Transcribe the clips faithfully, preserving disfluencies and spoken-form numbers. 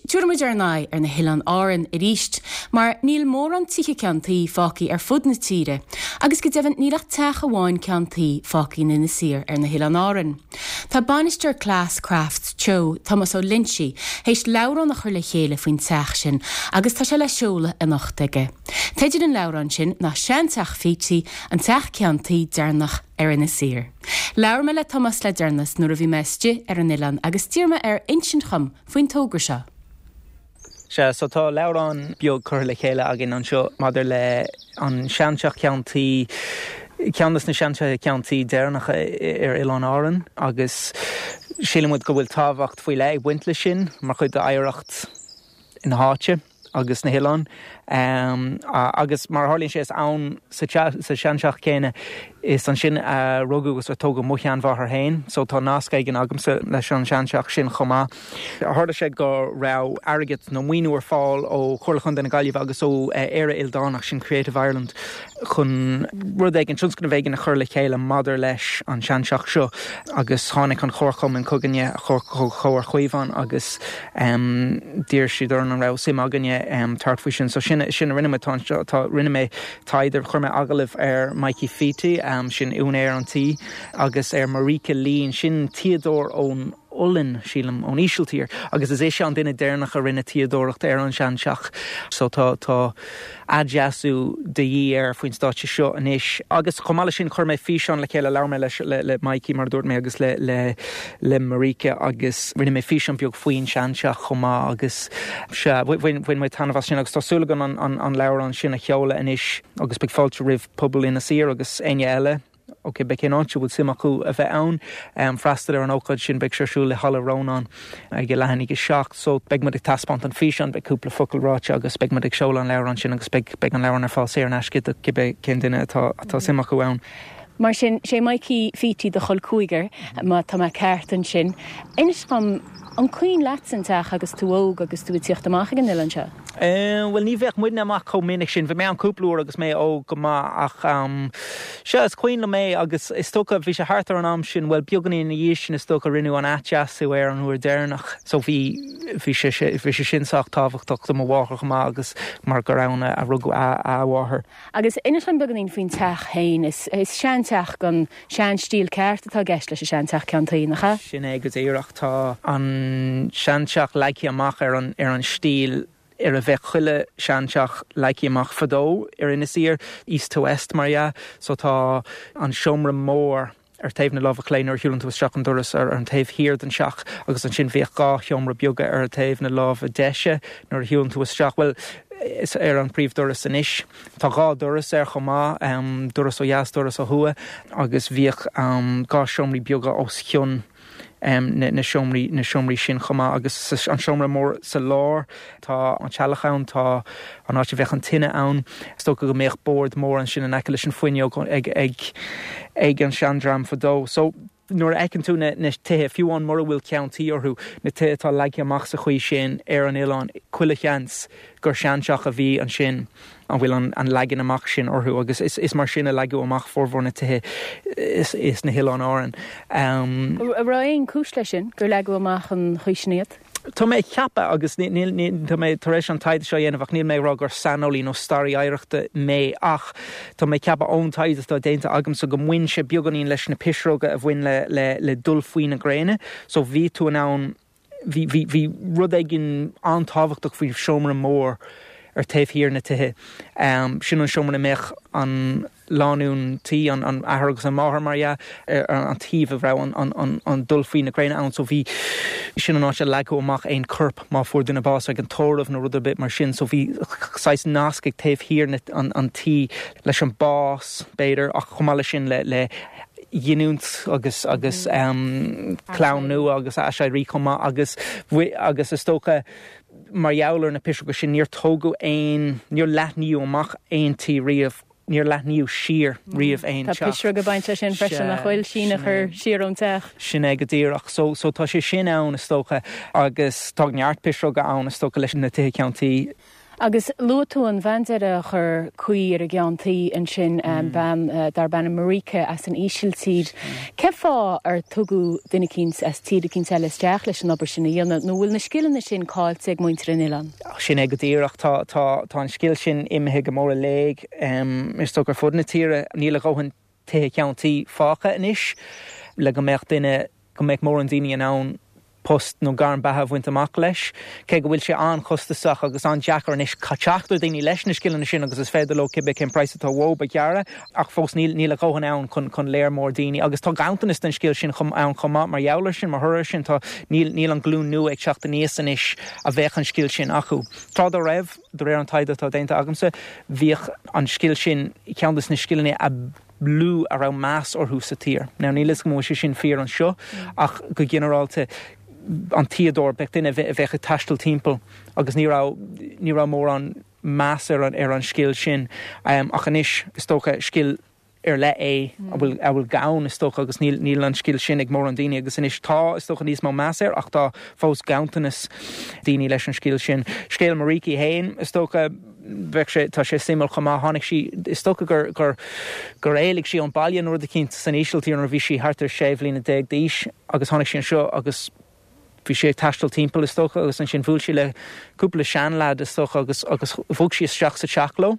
Tabharfaimid ár n-aghaidh ar na hOileáin Árann arís, mar níl mórán tithe ceann tuí fágtha ar fud na tíre, agus go deimhin níl ach teach amháin ceann tuí fágtha in Inis Oírr ar na hOileáin Árann. Tá bainisteoir Class Crafts Teo, Tomás Ó Loinsigh, théis leabhrán a chur le chéile faoin teach sin agus tá sé le seoladh anocht aige. Teideal an leabhráin sin ná Seanteach Pheaty, an teach ceann tuí deireanach ar Inis Oírr. Labhair mé le Tomás le deireanas nuair a bhí mé istigh ar an oileán agus d'iarr mé air insint dhom faoin togra seo. Sea, so tá leabhrán beag curtha le chéile againn anseo maidir le an seanteach ceann tuí, ceann de na seantithe ceann tuí deireanacha ar Oileáin Árann agus síleann muid go bhfuil tábhacht faoi leith ag baint leis sin mar chuid d'oidhreacht na háite agus na hoileáin. Um, agus mar tharlaíonn sé is ann sa seanteach céanna is ansin a rugadh agus a tógadh mo sheanmháthair féin, so tá nasc éigin agamsa leis an seanteach sin chomh maith. Tharla sé go raibh airgead nó maoiniú ar fáil ó Chomhairle Chontae na Gaillimhe agus ó Éire Ildánach sin Creative Ireland chun rud éigin tionscnamh éigin a chur le chéile maidir leis an seanteach seo agus tháinig an Chomharchumann chugainne Comhar Chaomhán agus um, d'iarr siad orainn an raibh suim againne um, tabhairt faoi sin so sin sin a rinne mé tá rinne mé taighde chuir mé agallamh ar Mikey Feety um, sin úinéir an tí agus ar Marika Lín sin tuíodóir ón Ollainn sílim ón Ísiltír agus is é sé an duine deireanach a rinne tuíodóireacht ar an seanteach so tá tá athdheisiú de dhíth air faoin stáitse seo anois agus chomh maith leis sin chuir mé físeán le chéile labhair mé leis le, le Mikey mar dúirt mé agus le le le Marika agus rinne mé físeán beag faoin seanteach chomh maith agus se bhain mé taitneamh as sin agus tá súil agam an, an, an leabhrán sin a sheoladh anois agus beidh fáilte roimh pobal Inis Oírr agus éinne eile Ok be cén áit bhfuil suim acu a bheith ann um, freastal ar an ócáid sin beidh sé ar siúl i Halla Rónáin ag leath i ndiaidh a seacht, so beidh muid ag taispeáint an físeán beidh cúpla focal ráite agus beidh muid ag seoladh an leabhrán sin agus beidh beidh an leabhrán ar fáil saor in aisce do cibé cén duine atá atá suim acu ann. Mar sin sé Mikey Feety do chol cúigear má tá mé ceart ansin. Inis dom an cuimhin leat an teach agus tú óg agus tú ag tíocht amach ag an oileán seo. Uh, well ní bheadh muidne amach chomh minic sin, bhí mé an cúpla uair agus mé óg go maith ach um, se is cuimhin liom é agus is dócha bhí sé thart ar an am sin well beagáinín ina dhiaidh sin is dócha rinneadh an athdheisiú air an uair deireanach so bhí bhí sé bhí sé sin sách tábhachtach do mo mháthair chomh maith agus mar gur ann a rugadh a a mháthair. Agus inis dom beagáinín faoin teach féin is, is seanteach an seanstíl ceart atá i gceist leis an seanteach ceann tuí nach ea? Sin é go díreach tá an seanteach leagtha amach ar an ar an stíl ar a bheith chuile seanteach leagtha amach fadó ar Inis Oírr East to West mar dhea, so tá an seomra mór ar taobh na láimhe clé nuair a shiúlann tú isteach an doras ar an taobh thiar den teach agus ansin bhíodh dhá sheomra beaga ar taobh na láimhe deise nuair a shiúlann tú isteach well is ar an príomhdoras anois. Tá dhá doras air chomh maith um, doras ó dheas doras ó thuaidh agus bhíodh um, dhá seomraí beaga os cionn um, na, na seomraí na seomraí sin chomh maith agus an seomra mór sa lár tá an teallach ann tá an áit a bheadh an tine ann Is dócha go mbeadh bord mór ansin in aice leis an fuinneog ag ag ag an seandream fadó. So nuair a fheiceann tú na, na tithe fiú amháin mura bhfuil ceann tuí orthu na tithe atá leagtha amach sa chaoi sin ar an oileán chuile sheans gur seanteach a bhí ansin an bhfuil an, an leagan amach sin orthu agus is, is mar sin a leagadh amach formhór na tithe is, is na hOileáin Árann. Um, An raibh aon chúis leis sin gur leagadh amach an chaoi sin iad? Tá mé ceapadh agus tá mé tar éis an taighde seo a dhéanamh ach níl mé rá gur saineolaí nó staraí oidhreachta mé ach Tá mé ceapadh ón taighde atá déanta agamsa go mbaineann sé beagáinín leis na pisreoga a bhain le, le, le dul faoi na gréine, so bhí tú in ann bhí, bhí, bhí rud éigin an-tábhachtach faoi seomra mór ar taobh thiar na tithe. Um, sin an seomra a mbeadh an lánúin tí an, an athair agus an máthair mar dhea ar an taobh a raibh an, an, an, an dul faoi na gréine ann so bhí sin an áit a leagadh amach aon corp má fuair duine bás ag an tórramh nó rud ar bith mar sin so bhí saghas nasc ag taobh thiar an, an tí leis an bás b'fhéidir ach chomh maith leis sin le, le giniúint agus agus um, clann nua agus aiséirí chomh maith agus agus is dócha mar gheall ar na pisreoga sin níor tógadh aon níor leathnaíodh amach aon tí riamh níor leathnaíodh siar riamh aon Tá pisreog ag baint leis sin freisin a chuil síneadh chur siar ón teach. Sin é go díreach so so tá sé sin ann is dócha agus tá neart pisreoga ann is dócha leis na tithe ceann tuí. Agus luaigh tú an bhean deiridh a chuir caoi ar an gceann tuí ansin mm. bean uh, darb ainm Marieke as an Ísiltír. Mm. Cén fáth ar tugadh duine eicínt as tír eicínt eile isteach leis an obair sin a dhéanamh, nó bhfuil na scileanna sin caillte ag muintir an oileáin? Sin é go díreach tá tá tá an scil sin imithe go mór i léig um, is dócha ar fud na tíre níl a dhóthain tithe ceann tuí fágtha anois le go mbeadh duine go mbeadh mórán daoine in ann post nó gairm beatha a bhaint amach leis, cé go bhfuil sé an-chostasach agus an-deacair anois teacht ar daoine leis na scileanna sin agus is féidir leo cibé cén praghas atá uathu a ghearradh ach fós níl níl a dhóthain ann chun chun léir mór daoine agus tá ganntanas den scil sin chum ann chomh maith mar gheall air sin mar thoradh sin tá níl níl an glúin nua ag teacht aníos anois a bheadh an scil sin acu. Tráth dá raibh de réir an taighde atá déanta agamsa bhíodh an scil sin ceann des na scileanna a lú a raibh meas orthu sa tír. Now níl a fhios agam an bhfuil sé sin fíor anseo ach go ginearálta an tuíodóir b'fhéidir duine a bheadh ag taisteal timpeall agus ní raibh ní raibh mórán meas ar an ar an scil sin um, ach anois is dócha scil ar leith é a bhfuil a bhfuil gann is dócha agus níl níl an scil sin ag mórán daoine agus anois tá is dócha níos mó meas air ach tá fós ganntanas daoine leis an scil sin. Scéal Marieke féin is dócha bheadh sé tá sé suimiúil chomh maith tháinig sí is dócha gur gur gur éalaigh sí ón baile nó rud eicínt san Ísiltír nuair a bhí sí thart ar sé bliana déag d'aois agus tháinig sí anseo agus bhí sí ag taisteal timpeall is dócha agus ansin bhuail sí le cúpla seanleaid is dócha agus agus bhog sí isteach sa teach leo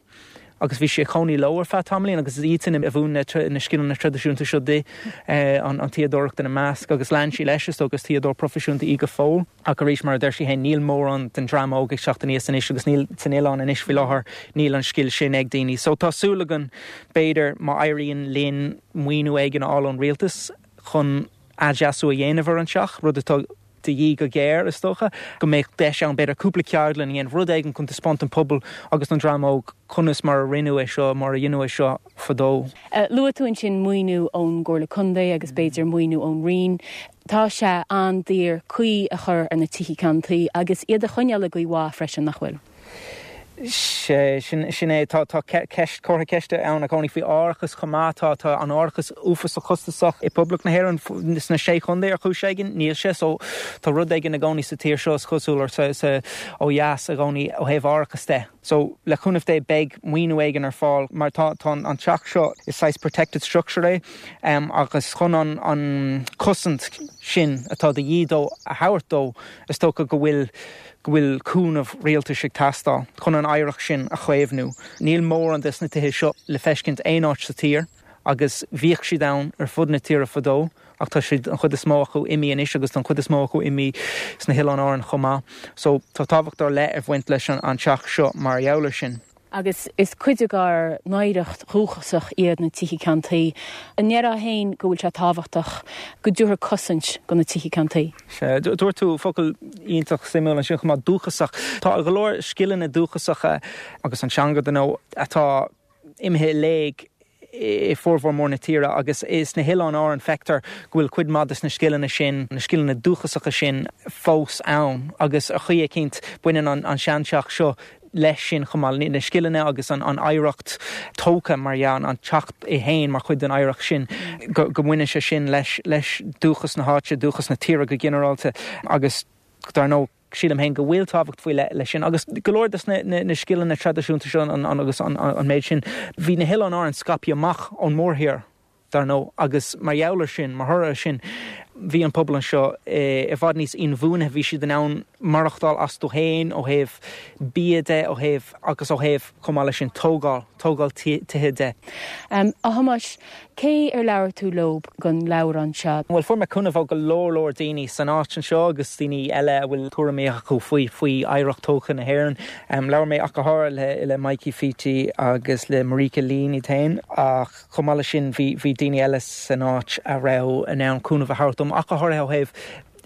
agus bhí sí ag cónaí leo ar feadh tamaillín agus iad sin a mhúin na na scileanna traidisiúnta seo di eh, an an tuíodóireacht ina measc agus lean sí leis is agus tuíodóir proifisiúnta í go fóill ach arís mar a deir sí féin níl mórán den dream óg ag teacht aníos anois agus níl san oileán anois faoi láthair níl an scil sin ag daoine. So tá súil againn b'fhéidir má éiríonn linn maoiniú éigin a fháil ón rialtas chun athdheisiú a dhéanamh ar an teach, rud atá de dhíth go géar is dócha, go mbeidh deis ann b'fhéidir cúpla ceardlann a dhéanamh rud éigin chun taispeáint don pobal agus don dream óg conas mar a rinneadh é seo mar a dhéanadh é seo fadó. Uh, Luaigh tú ansin maoiniú ón gComhairle Contae agus b'fhéidir maoiniú ón Roinn. Tá sé an-daor caoi a chur ar na tithe ceann tuí agus iad a choinneáil i gcaoi mhaith freisin nach bhfuil. sé sin sin é tá tá ceist curtha ceiste ann a chónaí faoi árachas chomh maith tá tá an árachas uafásach costasach i bPoblacht na hÉireann sna sé chontae ar chúis éigin níl sé so tá rud éigin i gcónaí sa tír seo is cosúil ar sa sa ó dheas i gcónaí ó thaobh árachas de. So le cúnamh Dé beidh maoiniú éigin ar fáil mar tá tá an teach seo is saghas protected structure é um, agus chun an an cosaint sin atá de dhíth dó a thabhairt dó is dócha go bhfuil go bhfuil cúnamh rialtais ag teastáil chun an oidhreacht sin a chaomhnú. Níl mórán des na tithe seo le feiscint aon áit sa tír, agus bhíodh siad ann ar fud na tíre fadó, ach tá siad an chuid is mó acu imithe anois agus an chuid is mó acu imithe sna hOileáin Árann chomh maith. So tá tábhacht ar leith ag baint leis an an teach seo mar gheall air sin. Agus is cuid dár n-oidhreacht dhúchasach iad na tithe ceann tuí. An ndéarfá féin go bhfuil sé tábhachtach go dtabharfar cosaint do na tithe ceann tuí. Sé dúirt tú focal iontach suimiúil ansin chomh maith dúchasach. Tá go leor scileanna dúchasacha agus an teanga dar ndóigh atá imithe i léig i formhór mór na tíre agus is sna hOileáin Árann feictear go bhfuil cuid mhaith des na scileanna sin na scileanna dúchasacha sin fós ann agus ar chaoi eicínt baineann an, an seanteach seo leis sin chomh maith na scileanna agus an, an oidhreacht tógtha mar an an teach é féin mar chuid den oidhreacht sin go, go mbaineann sé sin leis leis dúchas na háite dúchas na tíre go ginearálta agus dar ndóigh sílim féin go bhfuil tábhacht faoi leith leis sin agus go leor des na, na, na scileanna traidisiúnta seo an, an, agus an, an, an méid sin bhí na hOileáin Árann scaipthe amach ón mórthír dar ndóigh agus mar gheall air sin mar thoradh sin bhí an pobal anseo i bhfad níos inbhuanaithe bhí siad in ann maireachtáil astu féin ó thaobh bia de ó thaobh agus ó thaobh chomh maith leis sin tógáil tógáil tithe de. Um, a Thomáis, cé ar labhair tú leo don leabhrán seo? Well fuair mé cúnamh ó go leor leor daoine san áit anseo agus daoine eile a bhfuil tuairimí acu faoi faoi oidhreacht tógtha na hÉireann. Um, labhair mé ach go háirithe le, le Mikey Feety agus le Marieke Leen í féin ach chomh maith leis sin bhí bhí daoine eile san áit a raibh in ann cúnamh a thabhairt dom ach go háirithe ó thaobh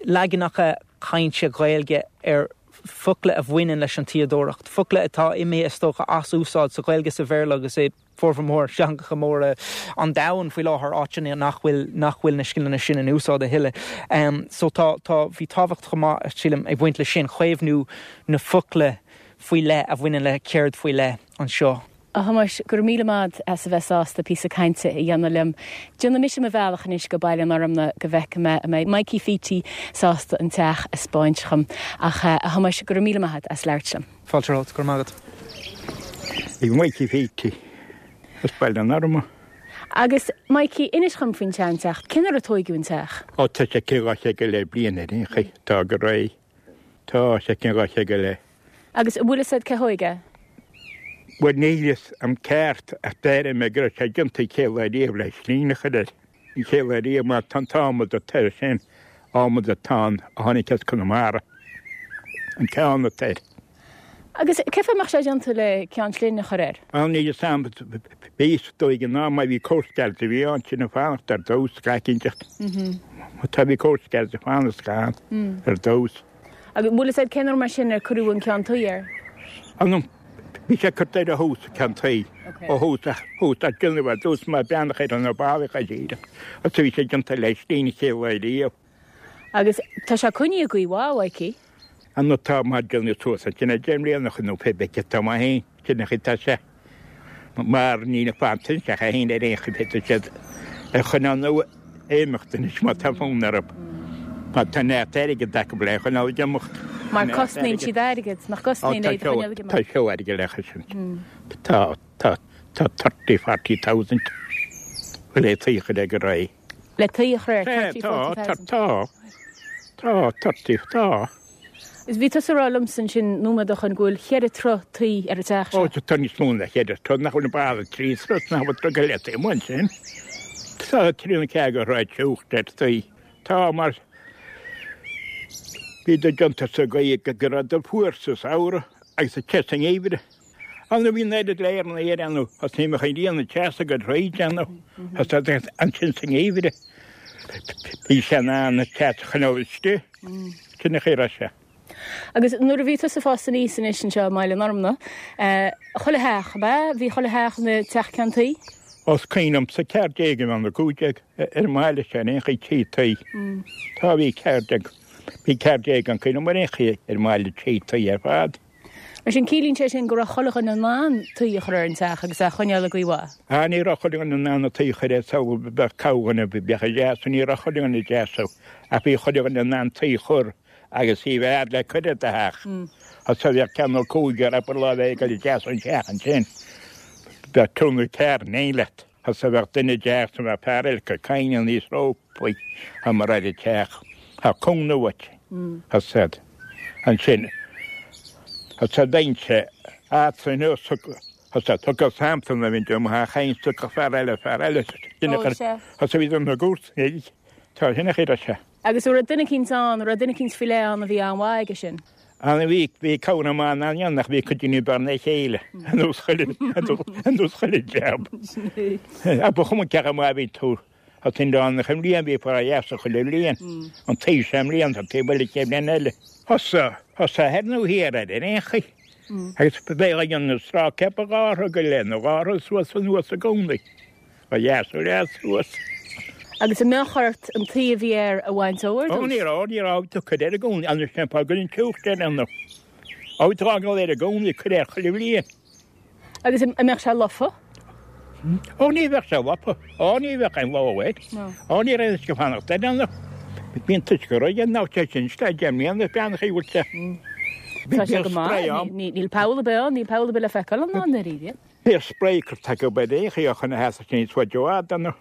leaganacha cainte Gaeilge ar focla a bhaineann leis an tuíodóireacht. Focla atá imithe is dócha as úsáid sa Ghaeilge sa Bhéarla agus é formhór mór teangacha móra an domhain faoi láthair áiteanna nach bhfuil nach bhfuil na scileanna sin in úsáid a thuilleadh. Um, so tá tá bhí tábhacht chomh maith sílim ag baint leis sin caomhnú na focla faoi leith a bhaineann le ceird faoi leith anseo. A Thomáis go raibh míle maith as a bheith sásta píosa cainte a dhéanamh liom. Déanfaidh mise mo bhealach anois go Baile an Fhormna go bhfeicfidh mé an mbeidh Mikey Feety sásta an teach a 'speáint dhom ach a Thomáis go raibh míle maith as labhairt liom. Fáilte romhat, go raibh maith agat. Ag Mikey Phete as Baile an Arma. Agus Mikey, inis dhom faoin tseanteach, cén uair a tóigeadh an teach? Ó tá sé céad dhá chéad go leith bliain ar aon chaoi, tá go réidh. Tá sé céad dhá chéad go leith. Agus an bhfuil fhios agat cé thóig é? Bhuel níl fhios a'm ceart ach deir mé go raibh sé déanta chéad lá riamh le slín a chur air. An chéad lá riamh mar tá an t-adhmad atá air sin, adhmad atá ann a tháinig as Conamara. An ceann atá air. Agus cén fáth a mbeadh sé déanta le ceann slinne a chur air? Á níl fhios a'm, bhí is dóigh in am má bhí Coast Guards a bhí ann sin ag fanacht ar dtús, gach inteacht. Má tá bhí Coast Guards ag fanacht ann ar dtús. Agus bhfuil fhios agat cén uair mar sin ar cuireadh an ceann tuí air? Á no, bhí sé curtha air ó thús, an ceann tuí. Ó thús, thús, ach déanamh ar dtús mar beannach ar na ballaí go díreach. Agus bhí sé déanta le slín chéad lá riamh. Agus tá sé coinnithe i gcaoi mhaith, a Mhaidhcí? An tá mar déanamh suas ansin deich mbliana ó shin nó pé bith tá maith féin, sin an chaoi atá sé. Mar níl ag fanacht anseo ach é féin ar aon chaoi féadfaidh siad a choinneáil nó a imeacht anois má tá fonn orthu. Má tá neart airgid acu le choinneáil ag imeacht. Mar cosnaíonn siad airgead, nach gcosnaíonn iad a choinneáil ag imeacht? Tá seó airgid le chosaint. Tá, tá, tá thirty, forty thousand le tuí a chur air go réidh. Le tuí a chur air, thirty, forty thousand? Tá, tá, tá, thirty, tá. Is bhí tusa ag rá liomsa ansin nóiméad ó shoin go bhfuil cheithre troigh tuí ar an teach seo. Ó, tá níos mó ná cheithre troigh, nach bhfuil an balla trí throigh, nach bhfuil troigh go leith taobh amuigh ansin. Tá trí nó ceathair de throigh teocht ar tuí. Tá, mar bhí do déanta sa gcaoi go raibh do fuar sa samhradh agus te sa ngeimhreadh. Ann a bhí an oiread le ar an aer ann, thosnaigh mé chun rian an teasa go throid ann, thosnaigh ansin sa ngeimhreadh. Bhí sé in ann an teas a choinneáil istigh. Sin an chaoi a raibh sé. Agus nuair a bhí tusa ag fás aníos anois anseo i mBaile an Fhormna, chuile theach, ab ea? Bhí chuile theach ina teach ceann tuí? Ó is cuimhin liomsa ceathair déag a bheith ann nó cúig déag ar an mbaile seo ar aon chaoi tí tuí. Tá, bhí ceathair déag, bhí ceathair déag an cuimhin liom ar aon chaoi ar an mbaile tí tuí ar fad. Mar sin, ciallaíonn sé sin go raibh chuile dhuine in ann tuí a chur ar an teach agus é a choinneáil i gcaoi mhaith. Ah, ní raibh chuile dhuine in ann an tuí a chur air, samhail, bheadh corrdhuine, bheadh ag deasú, ní raibh chuile dhuine ag deasú, ach bhí chuile dhuine in ann tuí a chur agus í bheith le cur ar do theach. Agus bheadh ceann nó cúigear abair lá bheith ag dul ag deasú an teach ansin, bheadh triúr nó ceathrar in éineacht leat. Agus bheadh duine ag deasú, bheadh fear eile ag cur coinnle aníos rópaí, mar ar an teach. Tá cúnamh uait. Agus ansin. Tá daoine eadrainn Tá tugtha sampla na bhí mo chaint tugtha fear eile fear eile Tá bhí na gcúirt Tá sin a chéad se. Agus an raibh duine eicínt ann, an raibh duine eicínt faoi leith ann a bhí an-mhaith aige sin? An bhí bhí cabhair maith ann ann ach bhí cuid daoine b'fhearr ná a chéile ar nós chuile ar nós chuile jab. Ach ba chuma cé chomh maith a bhí tú Tá an dán na mbliain bhí fara dheasa chuile bhliain. An taobh seo i mbliana, an taobh eile chéad bhliain eile. Thosaigh, thosaigh thoir nó thiar air ar aon chaoi. Agus bheadh a dhéanamh sraith ceaptha dhá throigh go leith nó dhá throigh suas anuas i gcónaí. Ó dheas ó dheas suas. Agus an mbeadh ort an tuí a bhí air a bhaint ó ar dtús? Ó ní raibh, ní raibh, tú cuir air i gcónaí, anois sin fáth go an teocht air ann. Ó bhí tú á gabháil air i gcónaí, cuir air chuile bhliain. Agus an mbeadh sé lofa? Ó ní bheadh sé lofa. Ó ní bheadh aon lobhadh air. Ó ní raibh uisce fanacht air ann. Bíonn an t-uisce réidh ná sé sin isteach deich mbliana is bean a bhfuil sé. Tá sé go maith. Níl poll ar bith ann, níl poll ar bith le feiceáil ann i ndáiríre. Bhíodh spray curtha acu ar aon chaoi chun a sheasamh sin níos faide i bhfad ann.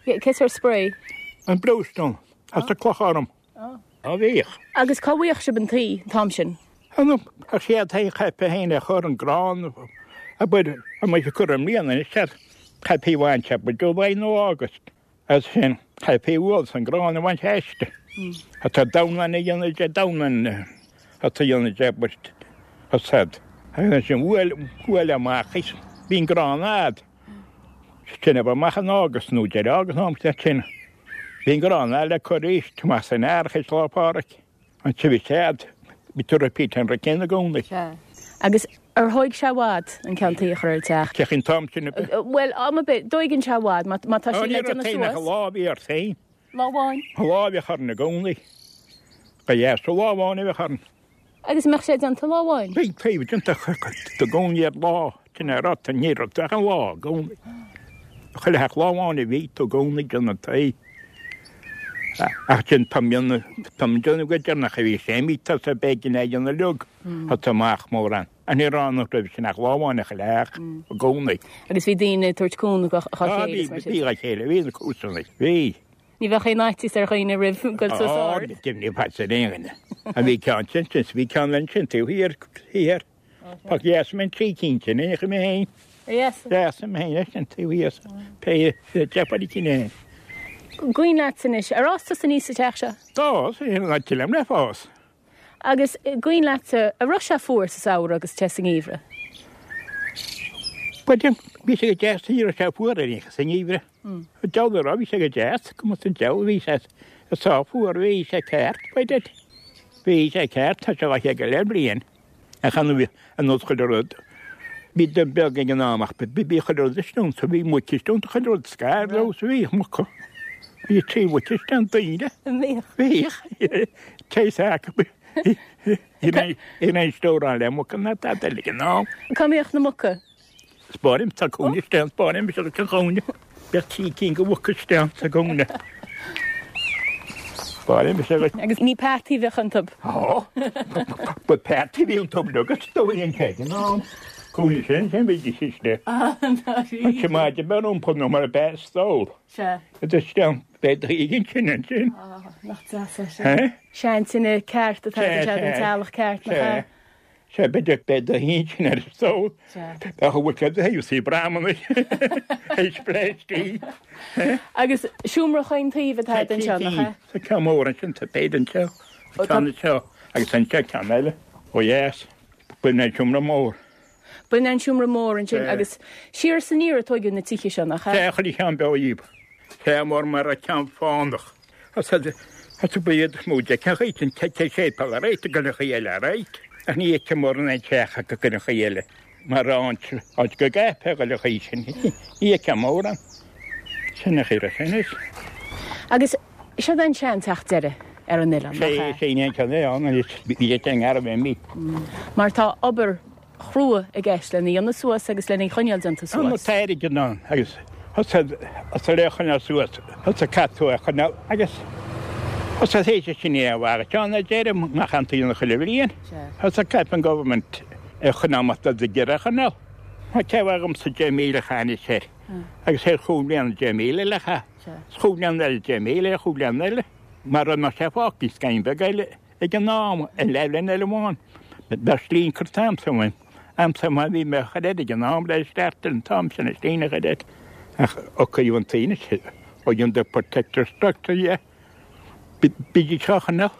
Cén sórt spray? An bluestone as an cloch orm. Á bhíodh. Agus cá bhfaigheadh sibh an tuí an t-am sin? An chéad thaobh chaithfí féin a chur an grán abair an mbeidh sé curtha i mbliana anois sea chaithfí a bhaint abair July nó August as sin chaithfí a bhualadh an grán a bhaint aisti. Atá domhnán a dhéanamh de domhnán atá a dhéanamh de abair as agus ansin bhuail bhuail amach is bhí an grán a'd. Sin a bheith amach in August nó deireadh August nó am sin. Bhí an grán a'd le cur arís amach san earrach is Lá Pádraig. An bhí cead, bhí tú repeat an rud céanna i gcónaí. Sea. Agus ar thóig sé i bhfad an ceann tuí a chur ar an teach? Cén an t-am sin ar bith. Bhuel, am ar bith, dtóigeann sé i bhfad, má má tá Ó sé ní le raibh déanamh féin ach suas. lá a bhí ort féin. Lá amháin. Lá a bheadh orainn i gcónaí. Ba dheas lá amháin a bheadh orainn. Agus an mbeadh sé déanta lá amháin? Bhí taobh déanta i gcónaí ar lá, sin é rud, ní raibh ach an lá i gcónaí. Chuile theach lá amháin a bhí tú i gcónaí ag déanamh tuí. Ach sin tá mion tá mion déanamh go deireanach a bhí sé imithe sa b'éigean é a dhéanamh uilig, tá amach mórán. Ní raibh ann roimhe sin ach lá amháin chuile theach i gcónaí. Agus bhí daoine ag tabhairt cúnamh dá chéile is mar sin. Bhí dá chéile, bhí na comharsanaigh, bhí. Ní bheadh aon fhaitíos ar dhaoine roimh goil suas ard. Á, deimhin faitíos ar aon dhuine. A bhí ceann sin, sin, bhí ceann ansin taobh thiar, thiar. Tá dheas mé trí cinn sin, ní mé féin. Dheas? Dheas mé féin leis sin taobh thiar. Pé deich bhfuil cinn féin. Cuimhin leat anois, ar fhás tusa aníos sa teach seo? D'fhás, an áit liom le fás. Agus cuimhin leatsa, an raibh sé fuar sa samhradh agus te sa ngeimhreadh? Bhuel, bhí sé go deas, ní raibh sé fuar ar aon chor sa ngeimhreadh. Deabhal a rá, bhí sé go deas, cuma san deabhal, bhí sé sách fuar, bhí sé ceart, bhuel, bhí sé ceart, tá sé dhá chéad go leith bliain. Ach an nós chuile rud, bhí duine beag ag an am ach bhí chuile rud istigh ann, so bhí muic istigh ann, chuile rud scar leo, so bhíodh muca. Bhí trí mhuic istigh ann, daoine. Bhíodh. Bhíodh. Téis acu. Ní raibh stóráil le muca ná tada eile ag an am. Cá mbíodh na muca? Spáirim sa chúinne istigh ann, spáirim sa chúinne. Bheadh trí cinn de mhuca istigh ann sa gcúinne. Spáirim sa Agus ní peataí a bheadh iontu? Ó, ba peataí a bhí iontu agus do bhí an cead in ann. Cúinne sin, sin bhídís istigh. Ah, An simáide beir iompar nó mar a bheadh stól. Sea. Idir isteach, beidh do thigh ansin ansin. Ah, nach deas é sin. Seantine ceart atá Sea, sé den sea. teaghlach ceart, nach Sea. ea? Sea, b'fhéidir beidh do thigh ansin ar an stól. Sea. Bheadh a bhfuil sé do thaobh sí brahmanna. Théis pléistí. Agus seomra chaon taobh atá anseo, nach ea? Tá ceann mór ansin, tá péad anseo, Ó, tá- ceann anseo agus anseo ceann eile. Ó dheas, b'in an seomra mór. B'in an seomra mór ansin Sea. agus siar is aniar a tóigeadh na tithe seo, nach ea? Sea, chuile cheann beo dhíob. Sea, mór mar a ceann fánach. As as ba iad is mó de ceann chaoi an te séipéal ar réit go chaoi eile ar réit. Ach ní fheicim mórán aon teach acu go chaoi eile. Mar áit áit go gcaithfeá go chaoi sin. Ní fheicim mórán. Sin a chaoi sin is. Agus seo an seanteach deiridh ar an oileán, nach Sé ea? sé an ceann é ann agus bhí sé ngar bheith mí. Mar tá obair chrua i gceist lena dhéanamh suas agus lena choinneáil déanta Tá na suas. tairge ann agus as a le choinneáil suas as a cat a choinneáil agus as a théise sin é a bhar ceann a deirim nach an taoine chuile bhliain. Sea. As a cap an government é choinneáil mat do deire choinneáil. Tá cewa agam sa deich míle cheana sé. Agus sé chúig bliana deich míle le cha. Sea. Chúig bliana eile deich míle, chúig bliana eile. Mar an sé fágtaí scain beag eile ag an am an leibhlean eile amháin. Bheadh slín cur t-am sa bhain. Am sa ma bhí mé chur ag an am le isteach an t-am sin is líne chur air. Ach ó an taoine ó dhéan the protector structure yeah. Bídí teachanna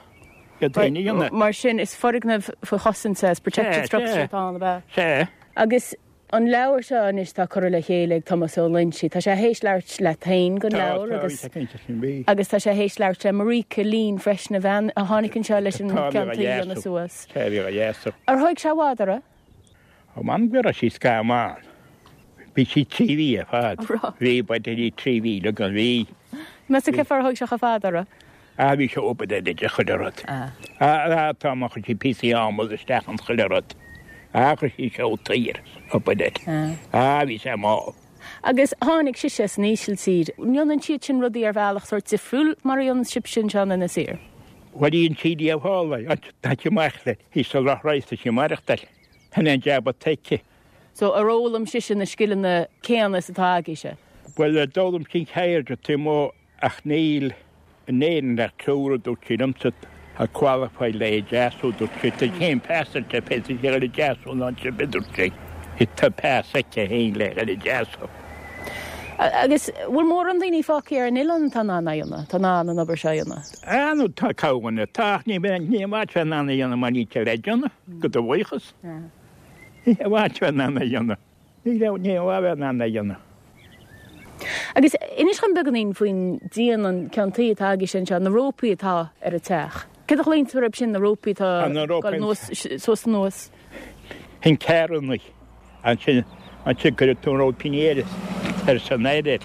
daoine dhéanamh. Mar sin is foirgneamh faoi chosaint is protected Sea, structure sea. atá ann, ab ea? Sea. Agus an leabhar seo anois tá curtha le chéile ag Tomás Ó Loinsigh. Tá sé théis labhairt leat féin don leabhar agus agus agus tá sé théis labhairt le Marika Lín freisin a bhean a tháinig anseo leis an Tá ceann a tuí dhéanamh suas. Sé bhí a dheasú. Ar thóg sé i bhfad uirthi? Ó man go raibh sí scamán. Bhí sí trí mhí ar fad. Ra. Bhí ba í trí mhí le gan bhí. Meas tú cén fáth ar thóg sé chomh fada uirthi? A bhí sé obair de de chuile rud. Ah. A tá mar chuir sí píosaí adhmaid isteach an chuile rud. A chuir sí seo tír obair de. Ah. A bhí sé mall. Agus tháinig sise as an Ísiltír. Ndéanann siad sin rudaí ar bhealach sórt difriúil mar a dhéanann sibh sin anseo in Inis Oírr. Bhuel í an tíí a fála tá sí amach le hí sa lochraiste sí maireachtáil. Than an jab a teici. So ar fhoghlaim sise na scileanna céanna is atá agaibhse. Well d'fhoghlaim sí ceird tí mó ach níl in Éirinn le triúr dúirt sí liomsa a qualify le deasú dúirt sí tá chéim pasante fé sé le deasú ná se dúirt sí. Tá pas aici féin le le deasú. Agus bhfuil mórán daoine fágtha ar an oileán atá in ann é a dhéanamh, tá in ann an obair seo a dhéanamh. A nó tá cabhanna tá ní ní bhaid fe na dhéanamh mar ní le déanamh go do bhuíochas. Ní bhaid fe na dhéanamh. Ní ní bhaid na dhéanamh. Agus inis dom beagáinín faoin díon an ceann tuí atá agaibhse anseo, na rópaí atá ar an teach. Cé a chlaonn tú orthu sin na rópaí atá Ah, na rópaí. anuas suas anuas. Hin cearnaí ansin ansin go tú ró pinéiris ar san éidir.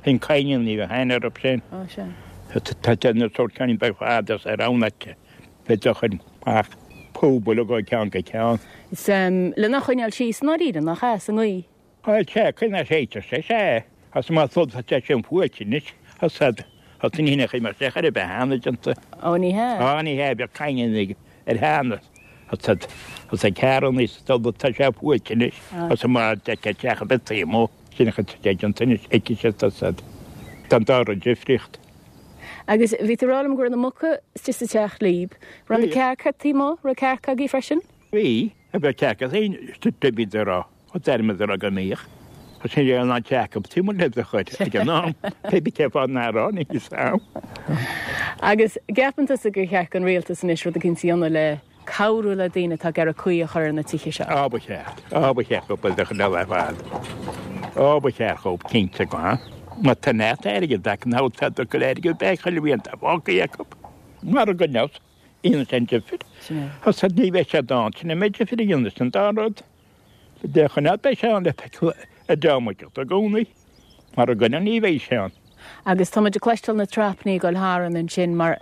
Hin caiinean ní bheith haine op sin. Ó sin. Tá na sórt ceann beag fadas ar annaite. Fe chun ach póbal go ceann go ceann. Is um, lena choinneáil síos i ndáiríre nach ea sa ngaoth. Á sé chuina séite sé sé as má thud sé sin fuailte nis as as ní hinna mar sé chu be hána genta. Ó ní hea. Á ní hé be caiinean ar hána Tá sé cearr is tá sé fuaite anois agus mar deich teach a bit taobh sin chu an tinnis aici sé tá Tá dá difríocht. Agus bhí tú ag rá liom go raibh na muca istigh sa teach libh, raibh na cearca taobh amuigh, raibh cearca agaibh freisin? Bhí, a bheith cearca féin bhí rá ó deirmid rá go mbíodh. Tá sin an an teach tí le de chuid ag an am pé cé fá ná ní sam. Agus gceapann tusa gur cheart an rialtas anois rud éicint a dhéanamh le cabhrú le daoine atá ag iarraidh caoi a chur ar na tithe seo. Á ba cheart, á ba cheart go bhfuil de chuid le fad. Á ba cheart chomh cinnte go ha. Má tá neart airgead acu ná tá do go airgead beidh chuile bhíonn tá fágtha acu. Mar go neamh aon sin difir. Tá sa ní bheidh sé dán sin a mbeidh difir a dhéanamh sin dá rud. De choimeád beidh sé ann le feiceáil a dteamaigh i gcónaí. Mar a gcoinne ní bheidh sé ann. Agus tá muid ag cloisteáil na trapnaí ag dul tharainn ansin mar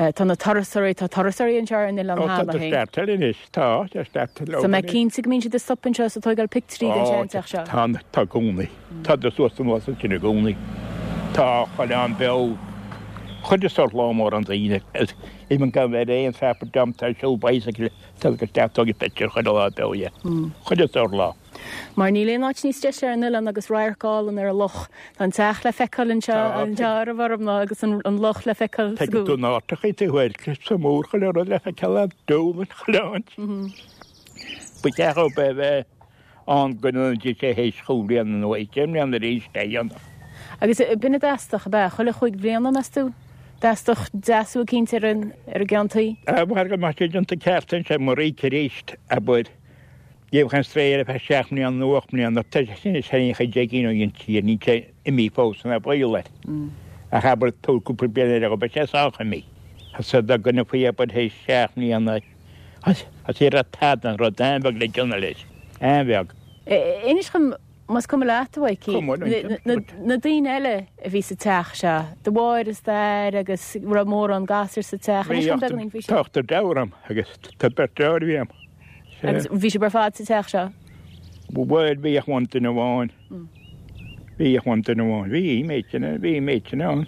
tá na turasóirí, tá turasóirí anseo ar an oileán Ó tá cheana féin. start anois, tá, tá start So mé cinnte go mbíonn siad ag stop anseo is ag tógáil pictiúirí den seanteach seo. Tá, tá gcónaí. Tá de suas anuas ansin i gcónaí. Tá chuile am beo chuile sórt lá mór an daoine. Even gan bheith aon trap jam tá siúl bicycle tá go teach tógáil pictiúr chuile lá beo dhe. Chuile sórt lá. Mar níl aon áit níos deise ar an oileán agus radharc álainn ar an loch. Tá an teach le feiceáil anseo Tá. anseo ar an bhformna agus an, an loch le feiceáil sa Tá gcúl. tú náirteach tú bhfuil sa mór chuile rud le feiceáil le dúlan chuile áit. Ba cheart ó be bheith an go n-dí sé théis chúig bliana nó deich mbliana arís é dhéanamh. Agus b'in a dteastódh ab ea chuile chúig bhliana meas tú? Dteastódh deasú éicint ar an ar an gceann tuí? Mar go mar sé déanta ceart sé mar ríc arís abair Dhéh an stréir a fe seacht mbliana nó ocht mbliana tá sin is sé chuid déigín ó an tír ní sé imí fós na baol air. Ach abair tú cúpla bliain eile go beidh sé sách imí. Tá da gona faoi abair théis seacht mbliana as é a tad an rud an-bheag le déanamh leis. An-bheag. Inis dom más cuma leat a Mhaidhcí, Cuma liom. na, na, na daoine eile a bhí sa teach seo, do mháthair is d'athair agus raibh mórán gasúr sa teach. Inis dom beagáinín faoi sin. Tá deartháir agus tá beirt deartháir bhí agam. Agus bhí sibh ar fad sa teach seo. Bhuel bhí ach amháin duine amháin. Bhí ach amháin duine amháin. Bhí méid sin bhí méid sin ann.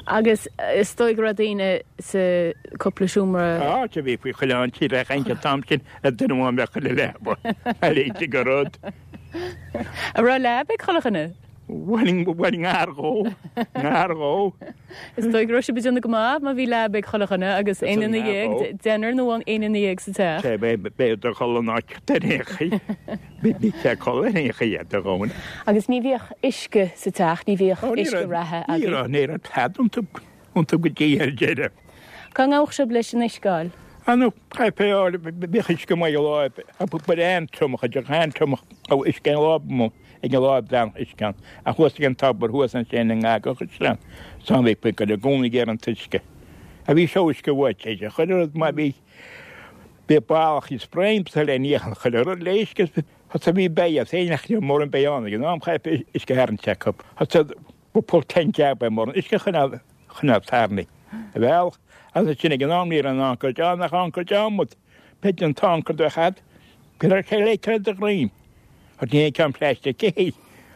Agus is dóigh go raibh daoine sa cúpla seomra Á te bhí faoi chuile an tír a chaint an t-am sin a duine amháin bheith chuile leaba. A léite go rud. A raibh leaba ag chuile dhuine. Bhuel bhuel ngar dhó. Ngar dhó. Is dóigh go raibh sibh ag déanamh go maith má bhí leaba ag chuile dhuine agus aon duine dhéag deichniúr nó aon duine dhéag sa teach. Sé bé bé do chol an áit ar aon chaoi. Bí bí sé col ar aon chaoi do dhóin. Agus ní bhíodh uisce sa teach, ní bhíodh uisce reatha Ní agaibh. raibh ní raibh tada iontu iontu go dtí ar deireadh. Cá ngabhadh sibh leis an uisce a fháil? Anu caipe bhíodh uisce maith lá a ba an tromach a an tromach ó uisce an lá mo ag an lá dan uisce an a thuas ag an tobar thuas an sin an ngá chuislean san bhí pu go gcónaí ar an tuisce. A bhí seo uisce bhuaite sé chuile rud má bhí bí ballach is spraem sa le níochan chuile rud le uisce Tá bhí beidh féin mór an beán ag an am chaipe uisce thar an cheap. Tá pol ten jab mór an uisce chuna chuna tarni. A bhealach agus sin ag an am níor an ancair deán nach ancair deámud. Pe an t-ancair do chad, go raibh sé léite de ghreim. Tá ní ceann plastic cé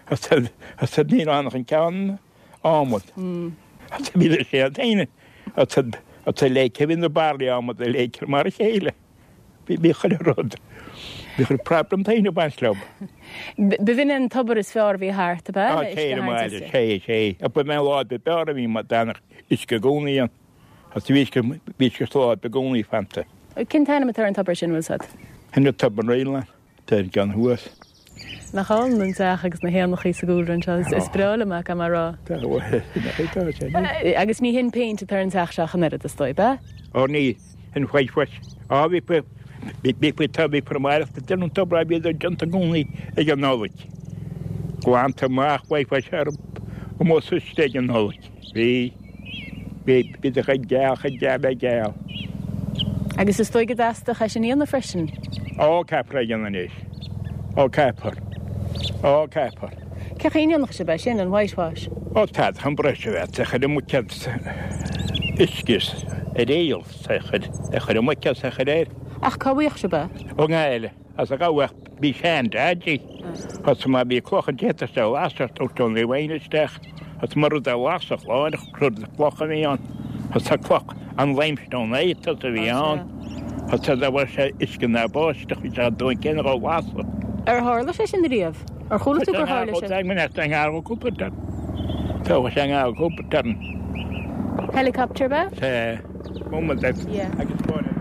Tá ní an an ceann ámud. Tá bí sé an Tá léice bhí na barlaí ámud a léice mar a chéile. Bhí bí chuile rud. Bhí chuile problem taine baint leo. B'in an tobar is fearr a bhí thart ab ea? Á cé maile sé sé. A ba mé lá be bear a bhí mar danach uisce gcónaí an. Agus bhí bhí lá be gcónaí fanta. Cén t-ainm atá ar an tobar sin bhfuil sad? Hen tobar réile Tá gan thuas. Nach álainn an teach agus na héanachaí sa gcúlra anseo is breá liom é mar rá. Tá tá Agus ní hin péint atá ar an teach seo an oiread is dóigh, ab ea? Ó ní an whitewash. Á bhí bhí bhí tá bhí permáireachta den an tobar bhí déanta i gcónaí ag an Nollaig. Glanta amach whitewash ar an suiste ag an Nollaig. Bhí bhí bhí de chuid geal chuid geal le geal. Agus is dóigh go dteastódh é sin a dhéanamh freisin. Ó caithfear é a dhéanamh anois. Ó caithfear. Ó caithfear. Cén chaoi a ndéanfadh sibh é sin an whitewash? Ó tá an brush a bheith chuir an muicead uisce ar éal sa chuir a chuir an muicead sa chuir air. Ach cá bhfaigheadh sibh é? Ó ngaile as a gabhadh bhí sean daidí. As má bhí cloch an téata se lasach ó tón i bhain isteach. As mar rud a lasach láineach rud cloch a bhí ann. As tá cloch an limestone é a bhí ann. Tá dá bhfuil sé uisce ná báisteach bhí sé dóin céanna dhá lasadh. Ar tharla sé sin riamh? Ar chuala tú gur tharla sé? Tá sé cúpla turn. Tá sé cúpla turn. Helicopter ba? Sé moment Yeah. agus fáinne.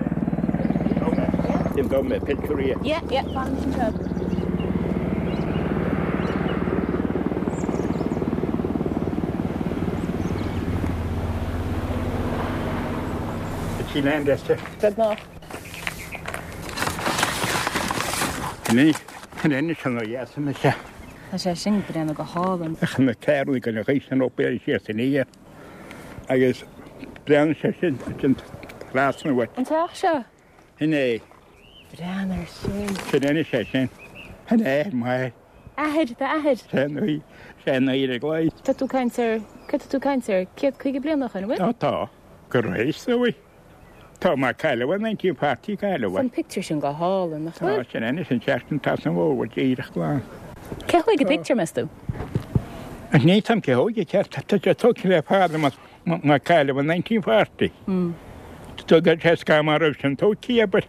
Sin go mé picture Yeah, yeah, fan sin seo. Sí land este. Beagnach. Ní ní sin ó yes me se. Tá sé sin breathnú go hálainn. Ach na cearú go na rééis op sé san é. Agus brean sé sin sin trasna An teach seo? Hin é Breathnaigh air sin. sin ina sé sin. Hin é mai Athair, d'athair. sé nuí sé na i glei. Tá tú caint ar, cad tá tú caint ar, céad caoga bliain ó shin, bhfuil? Tá tá go rééis í. Tá mar caiile nineteen forty caiile. An picture sin go hálainn, nach Tá bhfuil? sin ina sin seachtain tá san bhó díreach glan. Cé thóg an picture meas tú? An ní tam cé hóige ceart tá sé tógtha le fada má cailleadh nineteen forty. Tá go sé sca mar raibh sin tógtha but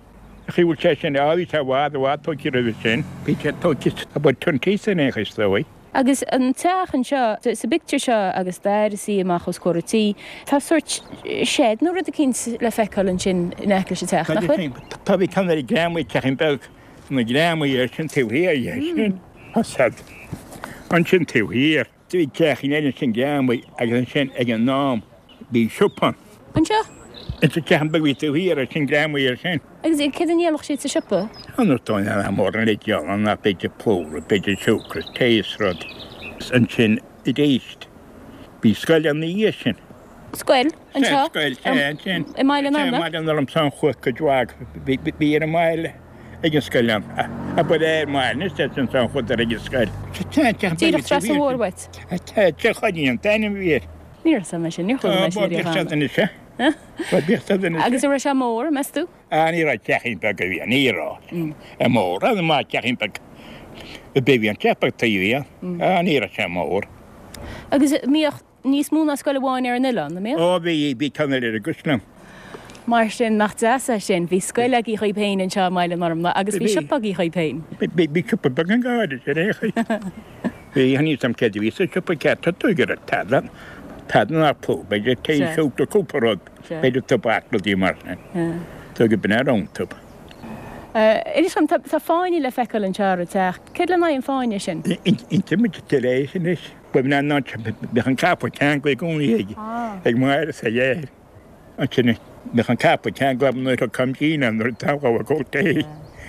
chi bhfuil sé sin á bhí sé bhfad bhfad tógtha roimhe sin. Bhí sé tógtha about twenty san aon chos dóigh. Agus an teach anseo, sa bpictiúr seo agus d'fhear ina shuí amach os comhair an tí, tá sórt shed nó rud eicínt le feiceáil ansin in aice leis an teach, nach bhfuil? Tá bhí ceann ar greamaí teachín beag na greamaí ar sin taobh thiar dhe sin. Tá siad ansin taobh thiar. Bhí teachín eile sin greamaí agus ansin ag an am bhí siopa. Anseo? Is sa teachín beag bhí taobh thiar ar sin greamaí ar sin. Agus céard a dhíolfadh siad sa siopa? An rud an mór an le an ná b'fhéidir plúr, b'fhéidir siúcra, tae is rud. Ansin arís. Bhí scoil an oíche sin. Scoil? Anseo? Scoil, sé, ansin. I mBaile an Ormna? I mBaile an Orm san chuaigh cuid mhaith. Bhí ar an mbaile ag an scoil ann. A ba ar an mbaile, anois tá sin san chuid ar ag an scoil. Díreach trasna an bhóthair uait? Tá, Choinín an t-ainm a bhí air. Ní raibh mé sin, níor chuala mé sin riamh cheana. Agus an raibh sé mór, meas tú? Ah, ní raibh teachín beag a bhí, ní raibh. É mór, an maith teachín beag. A bhí an teach beag taobh thiar. Ah, ní raibh sé mór. Agus mbíodh níos mó ná scoil amháin ar an oileán, an mbíodh? Ó, bhí, bhí ceann eile ar an gCaisleán. Mar sin, nach deas é sin, bhí scoil agaibh dhaoibh féin anseo i mBaile an Ormna agus bhí siopa agaibh dhaoibh féin. Bhí, bhí siopa beag an gairid ar aon chaoi. Bhí, níl a fhios agam céard a bhí sa siopa ceart, tá tú ag iarraidh tada. Tada ná plúr, b'fhéidir tae siúcra cúpla rud, b'fhéidir tobac, rudaí mar sin. Tá go binn ar iontub. Inis dom, tá fáinne le feiceáil anseo ar an teach. Céard lena aghaidh an fáinne sin? Inti muid tar éis anois. Ba bhinn an áit, bheadh an capall ceangailte i gcónaí ag ag Máire is ag air. Ansin bheadh an capall ceangailte nuair a thug Gina nuair a togha a cóta.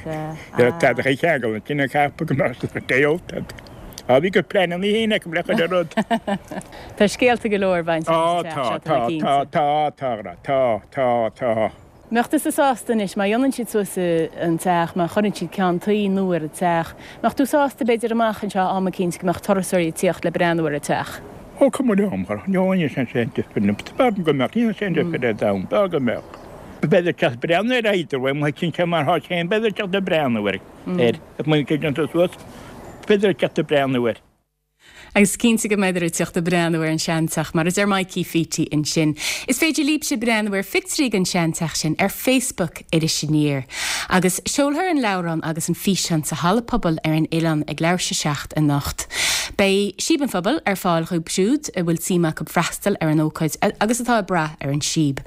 Tada a cheangal ansin an capall go mbeadh sé tae ólta. Á bhí go pleananna féin acu le chuile rud. Tá scéalta go leor bainte Á leis an tá, teach seo, tá mé tá, cinnte. tá, tá, tá, tá, tá, tá. Mbeadh tusa sásta anois, má dhéanann siad suas an teach, má chuireann siad ceann tuí nua ar an teach, mbeadh tú sásta b'fhéidir amach anseo am eicínt go mbeadh turasóirí ag tíocht le breathnú ar an teach? Ó, cuma liom, chara, ní fhaigheann sé sin difear liom. B'fhearr go mbeadh, ní fhaigheann sé difear ar domhan, b'fhearr go mbeadh. B'fhéidir teacht breathnú ar either way, má théann sé mar thá sé féin, b'fhéidir teacht ag breathnú air, air, má théann sé suas. B'fhéidir teacht ag breathnú air. Agus cinnte go mbeidh ag teacht ag breathnú ar an seanteach, mar a deir Mikey Pheatie ansin. Is féidir libhse breathnú ar phictiúirí den seanteach sin ar Facebook Iris Aniar. Agus seolfar an leabhrán agus an físeán sa Halla Pobail ar an oileán ag leathuair tar éis a seacht anocht. Beidh Síob an Phobail ar fáil dhóibh siúd a bhfuil suim acu freastal ar an ócáid agus atá ag brath ar an síob.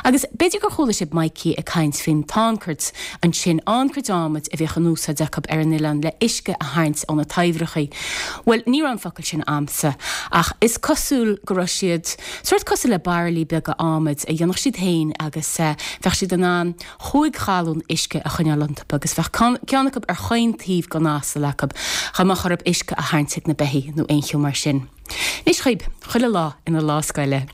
Agus b'fhéidir gur chuala sibh Mikey ag caint faoin t-anchairt, ansin anchairt adhmaid a bhíodh in úsáid acu ar an oileán le uisce a tharraingt ó na taibhreacha. Bhuel, ní raibh an focal sin a'msa, ach is cosúil go raibh siad sórt cosúil le bairillí beaga adhmaid a dhéanfadh siad féin agus bheadh siad in ann chúig ghalún uisce a choinneáil iontu agus bheadh ceann acu ar chaon taobh den asal acu chun má chorab uisce a tharraingt ag na beithígh nó aon cheo mar sin. Anois chugaibh, chuile lá ina lá scoile.